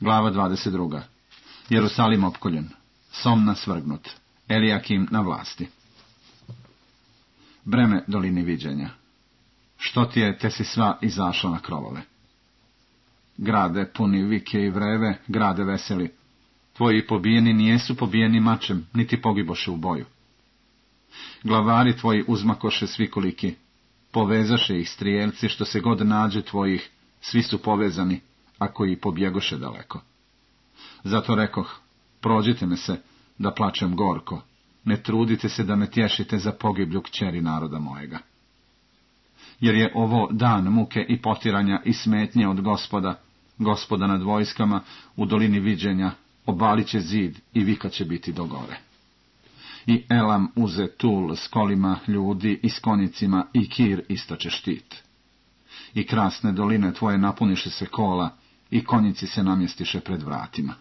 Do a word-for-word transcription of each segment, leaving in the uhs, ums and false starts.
Glava dvadeset druga. Jerusalim opkoljen, Somna svrgnut, Elijakim na vlasti. Breme dolini viđenja. Što ti je, te si sva izašla na krovove. Grade puni vike i vreve, grade veseli. Tvoji pobijeni nijesu pobijeni mačem, niti pogiboše u boju. Glavari tvoji uzmakoše svikoliki, povezaše ih strijelci, što se god nađe tvojih, svi su povezani, a koji pobjegoše daleko. Zato rekoh, prođite me se, da plačem gorko, ne trudite se da me tješite za pogiblju kćeri naroda mojega. Jer je ovo dan muke i potiranja i smetnje od Gospoda, Gospoda nad vojskama, u dolini viđenja, obalit će zid i vika će biti do gore. I Elam uze tul s kolima ljudi i s konjicima, i Kir istoče štit. I krasne doline tvoje napuniše se kola, i konjici se namjestiše pred vratima.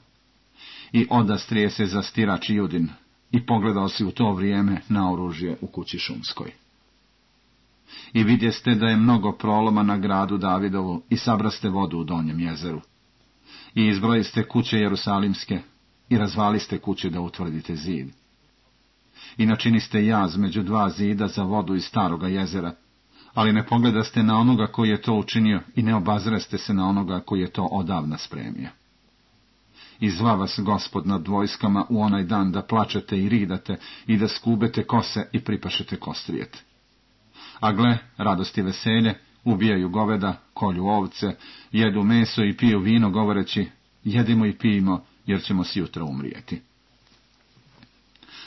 I odastrije se zastirač Judin, i pogledao si u to vrijeme na oružje u kući šumskoj. I vidjeste da je mnogo proloma na gradu Davidovu, i sabraste vodu u donjem jezeru. I izbrojiste kuće jerusalimske, i razvaliste kuće da utvrdite zid. I načiniste jaz među dva zida za vodu iz staroga jezera, ali ne pogledaste na onoga koji je to učinio i ne obazreste se na onoga koji je to odavna spremio. I zva vas Gospod nad vojskama u onaj dan da plačete i ridate i da skubete kose i pripašete kostrijete. A gle, radost i veselje, ubijaju goveda, kolju ovce, jedu meso i piju vino govoreći, jedimo i pijimo jer ćemo sjutra umrijeti.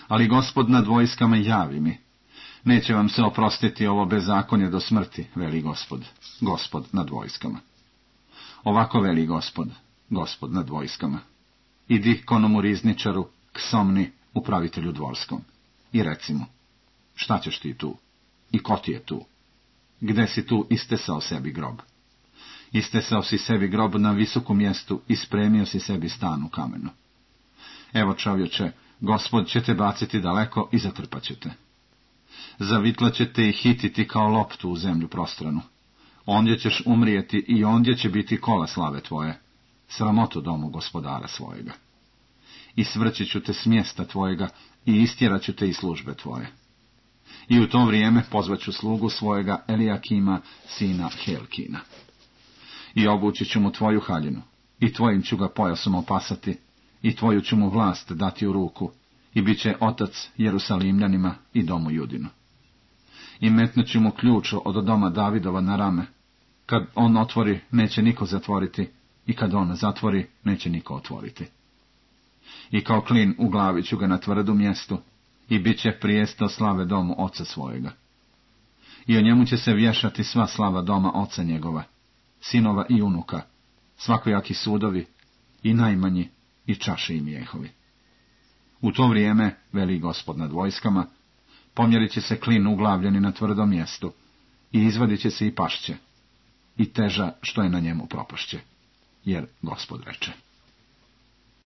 Ali Gospod nad vojskama javi mi, neće vam se oprostiti ovo bezakonje do smrti, veli Gospod, Gospod nad vojskama. Ovako veli Gospod, Gospod nad vojskama. Idi konomu rizničaru, k Somni, upravitelju dvorskom, i reci mu, šta ćeš ti tu? I ko ti je tu? Gde si tu istesao sebi grob? Istesao si sebi grob na visokom mjestu i spremio si sebi stan u kamenu. Evo, čovječe, Gospod će te baciti daleko i zatrpat će te. Zavitla će te i hititi kao loptu u zemlju prostranu. Ondje ćeš umrijeti i ondje će biti kola slave tvoje, sramotu domu gospodara svojega. I svrći ću te s mjesta tvojega i istjerat ću te iz službe tvoje. I u to vrijeme pozvaću slugu svojega Elijakima, sina Helkina. I obući ću mu tvoju haljinu, i tvojim ću ga pojasom opasati, i tvoju ću mu vlast dati u ruku, i bit će otac Jerusalimljanima i domu Judinu. I metnut ću mu ključ od doma Davidova na rame. Kad on otvori, neće niko zatvoriti, i kad on zatvori, neće niko otvoriti. I kao klin u glavi ću ga na tvrdu mjestu, i bit će prijesto slave domu oca svojega. I o njemu će se vješati sva slava doma oca njegova, sinova i unuka, svakojaki sudovi, i najmanji, i čaši i mijehovi. U to vrijeme, veli Gospod nad vojskama, pomjerit će se klin uglavljeni na tvrdom mjestu, i izvadit će se i pašće, i teža što je na njemu propašće, jer Gospod reče.